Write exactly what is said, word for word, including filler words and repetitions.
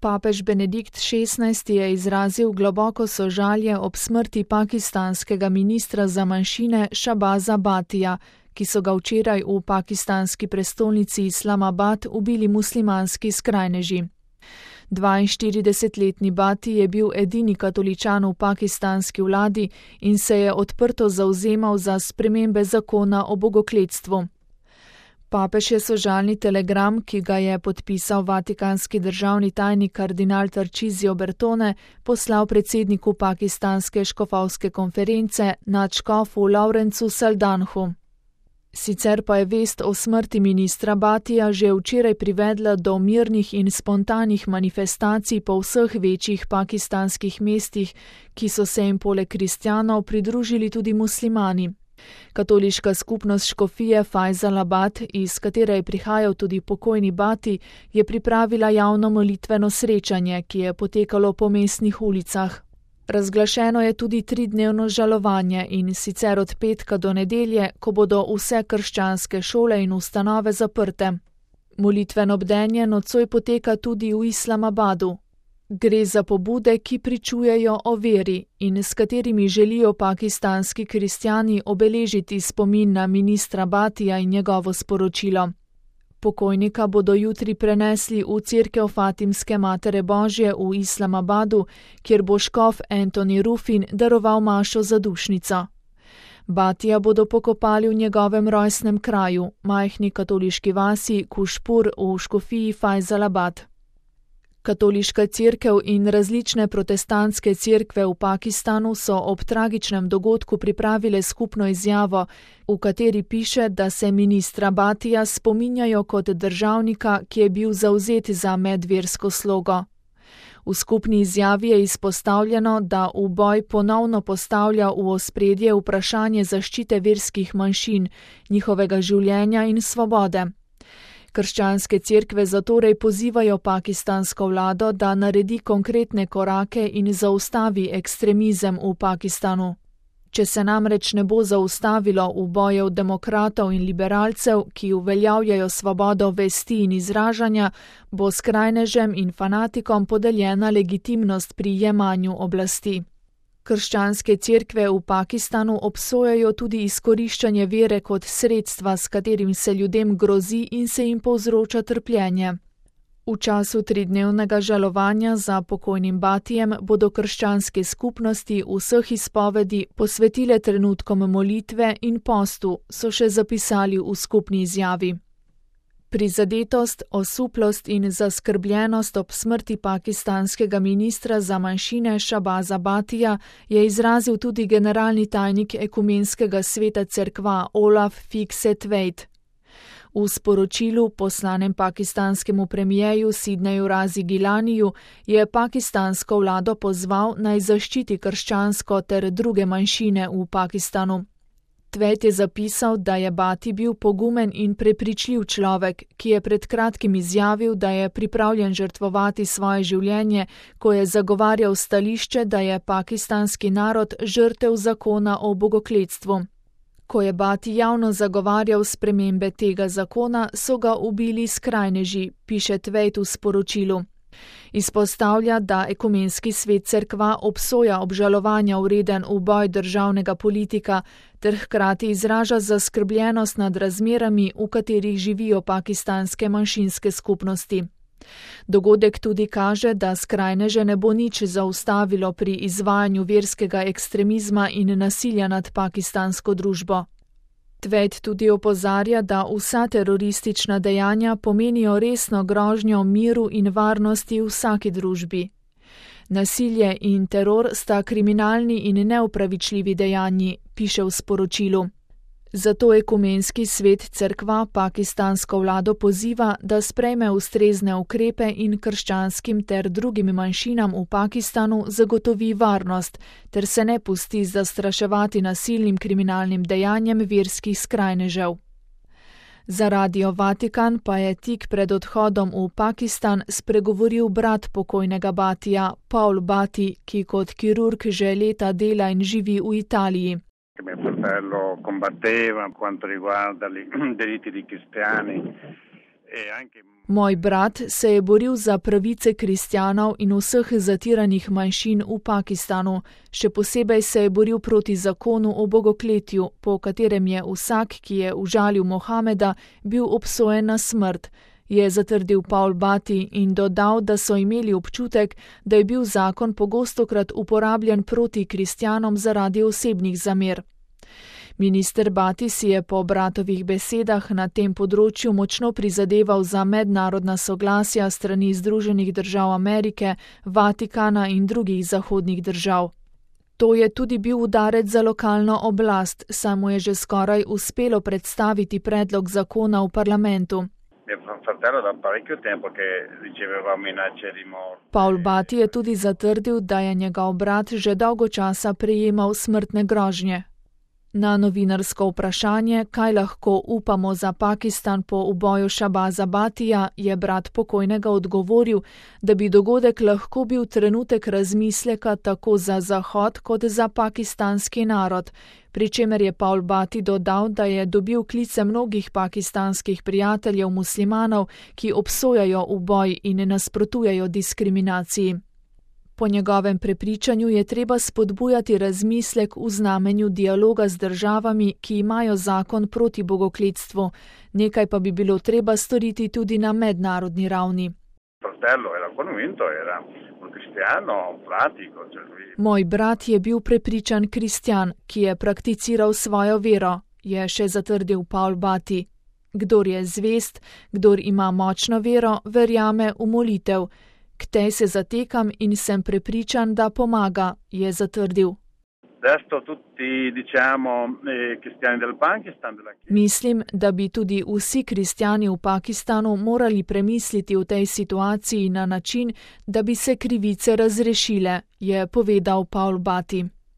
Papež Benedikt šestnajsti je izrazil globoko sožalje ob smrti pakistanskega ministra za manjšine Shahbaza Bhatija, ki so ga včeraj v pakistanski prestolnici Islamabad ubili muslimanski skrajneži. dvainštiridesetletni Bhati je bil edini katoličan v pakistanski vladi in se je odprto zavzemal za spremembe zakona o bogokletstvu. Papež je sožalni telegram, ki ga je podpisal vatikanski državni tajnik kardinal Tarcisio Bertone, poslal predsedniku pakistanske škofovske konference nadškofu Lawrencu Saldanhu. Sicer pa je vest o smrti ministra Bhatija že včeraj privedla do mirnih in spontanih manifestacij po vseh večjih pakistanskih mestih, ki so se jim poleg kristjanov pridružili tudi muslimani. Katoliška skupnost škofije Fajzalabad, iz katere je prihajal tudi pokojni Bhati, je pripravila javno molitveno srečanje, ki je potekalo po mestnih ulicah. Razglašeno je tudi tridnevno žalovanje in sicer od petka do nedelje, ko bodo vse krščanske šole in ustanove zaprte. Molitveno bdenje nocoj poteka tudi v Islamabadu. Gre za pobude, ki pričujejo o veri in s katerimi želijo pakistanski kristjani obeležiti spomin na ministra Bhatija in njegovo sporočilo. Pokojnika bodo jutri prenesli v cerkev Fatimske Matere Božje v Islamabadu, kjer bo škof Anthony Ruffin daroval mašo za dušnico. Bhatija bodo pokopali v njegovem rojstnem kraju, majhni katoliški vasi Kušpur v škofiji Fajzalabad. Katoliška cerkev in različne protestantske cerkve v Pakistanu so ob tragičnem dogodku pripravile skupno izjavo, v kateri piše, da se ministra Bhatija spominjajo kot državnika, ki je bil zavzet za medversko slogo. V skupni izjavi je izpostavljeno, da uboj ponovno postavlja v ospredje vprašanje zaščite verskih manjšin, njihovega življenja in svobode. Krščanske cerkve zatorej pozivajo pakistansko vlado, da naredi konkretne korake in zaustavi ekstremizem v Pakistanu. Če se namreč ne bo zaustavilo ubojev demokratov in liberalcev, ki uveljavljajo svobodo vesti in izražanja, bo skrajnežem in fanatikom podeljena legitimnost pri jemanju oblasti. Krščanske cerkve v Pakistanu obsojajo tudi izkoriščanje vere kot sredstva, s katerim se ljudem grozi in se jim povzroča trpljenje. V času tridnevnega žalovanja za pokojnim Bhatijem bodo krščanske skupnosti vseh izpovedi posvetile trenutkom molitve in postu, so še zapisali v skupni izjavi. Prizadetost, osuplost in zaskrbljenost ob smrti pakistanskega ministra za manjšine Shahbaza Bhatija je izrazil tudi generalni tajnik ekumenskega sveta cerkva Olaf Fikset-Veit. V sporočilu poslanem pakistanskemu premijeju Sidneju Razi Gilaniju je pakistansko vlado pozval naj zaščiti krščansko ter druge manjšine v Pakistanu. Tveit je zapisal, da je Bhati bil pogumen in prepričljiv človek, ki je pred kratkim izjavil, da je pripravljen žrtvovati svoje življenje, ko je zagovarjal stališče, da je pakistanski narod žrtev zakona o bogokletstvu. Ko je Bhati javno zagovarjal spremembe tega zakona, so ga ubili skrajneži, piše Tveit v sporočilu. Izpostavlja, da ekumenski svet cerkva obsoja obžalovanja vreden uboj državnega politika ter hkrati izraža zaskrbljenost nad razmerami, v katerih živijo pakistanske manjšinske skupnosti. Dogodek tudi kaže, da skrajneže ne bo nič zaustavilo pri izvajanju verskega ekstremizma in nasilja nad pakistansko družbo. Tveit tudi opozarja, da vsa teroristična dejanja pomenijo resno grožnjo miru in varnosti v vsaki družbi. Nasilje in teror sta kriminalni in neupravičljivi dejanji, piše v sporočilu. Zato ekumenski svet cerkva pakistansko vlado poziva, da sprejme ustrezne ukrepe in krščanskim ter drugim manjšinam v Pakistanu zagotovi varnost, ter se ne pusti zastraševati nasilnim kriminalnim dejanjem verskih skrajnežev. Za Radio Vatikan pa je tik pred odhodom v Pakistan spregovoril brat pokojnega Bhatija, Paul Bhati, ki kot kirurg že leta dela in živi v Italiji. Mio fratello combatteva quanto riguarda i diritti dei cristiani Moj brat se je boril za pravice kristjanov in vseh zatiranih manjšin v Pakistanu. Še posebej se je boril proti zakonu o bogokletju, po katerem je vsak, ki je užalil Mohameda, bil obsojen na smrt, je zatrdil Paul Batty in dodal, da so imeli občutek, da je bil zakon pogostokrat uporabljen proti kristjanom zaradi osebnih zamer. Minister Batty si je po bratovih besedah na tem področju močno prizadeval za mednarodna soglasja strani Združenih držav Amerike, Vatikana in drugih zahodnih držav. To je tudi bil udarec za lokalno oblast, saj mu je že skoraj uspelo predstaviti predlog zakona v parlamentu. Paul Batty je tudi zatrdil, da je njegov brat že dolgo časa prejemal smrtne grožnje. Na novinarsko vprašanje, kaj lahko upamo za Pakistan po uboju Shahbaza Bhattija, je brat pokojnega odgovoril, da bi dogodek lahko bil trenutek razmisleka tako za Zahod kot za pakistanski narod, pri čemer je Paul Batty dodal, da je dobil klice mnogih pakistanskih prijateljev muslimanov, ki obsojajo uboj in nasprotujejo diskriminaciji. Po njegovem prepričanju je treba spodbujati razmislek v znamenju dialoga z državami, ki imajo zakon proti bogokletstvu, nekaj pa bi bilo treba storiti tudi na mednarodni ravni. Moj brat je bil prepričan kristjan, ki je prakticiral svojo vero, je še zatrdil Paul Batty. Kdor je zvest, kdor ima močno vero, verjame v molitev. K tej se zatekam in sem prepričan, da pomaga, je zatrdil. Mislim, da bi tudi vsi kristjani v Pakistanu morali premisliti v tej situaciji na način, da bi se krivice razrešile, je povedal Paul Batty.